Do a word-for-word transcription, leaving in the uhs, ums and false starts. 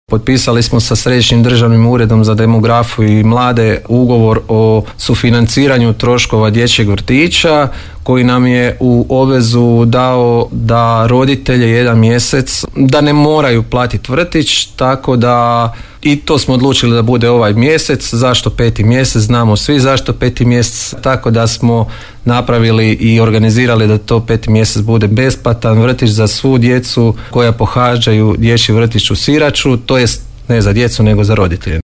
Potpisali smo sa Središnjim državnim uredom za demografiju i mlade ugovor o sufinanciranju troškova dječjeg vrtića koji nam je u obvezu dao da roditelje jedan mjesec da ne moraju platiti vrtić, tako da i to smo odlučili da bude ovaj mjesec. Zašto peti mjesec? Znamo svi zašto peti mjesec, tako da smo napravili i organizirali da to peti mjesec bude besplatan vrtić za svu djecu koja pohađaju dječji vrtić u Siraču, to jest ne za djecu nego za roditelje.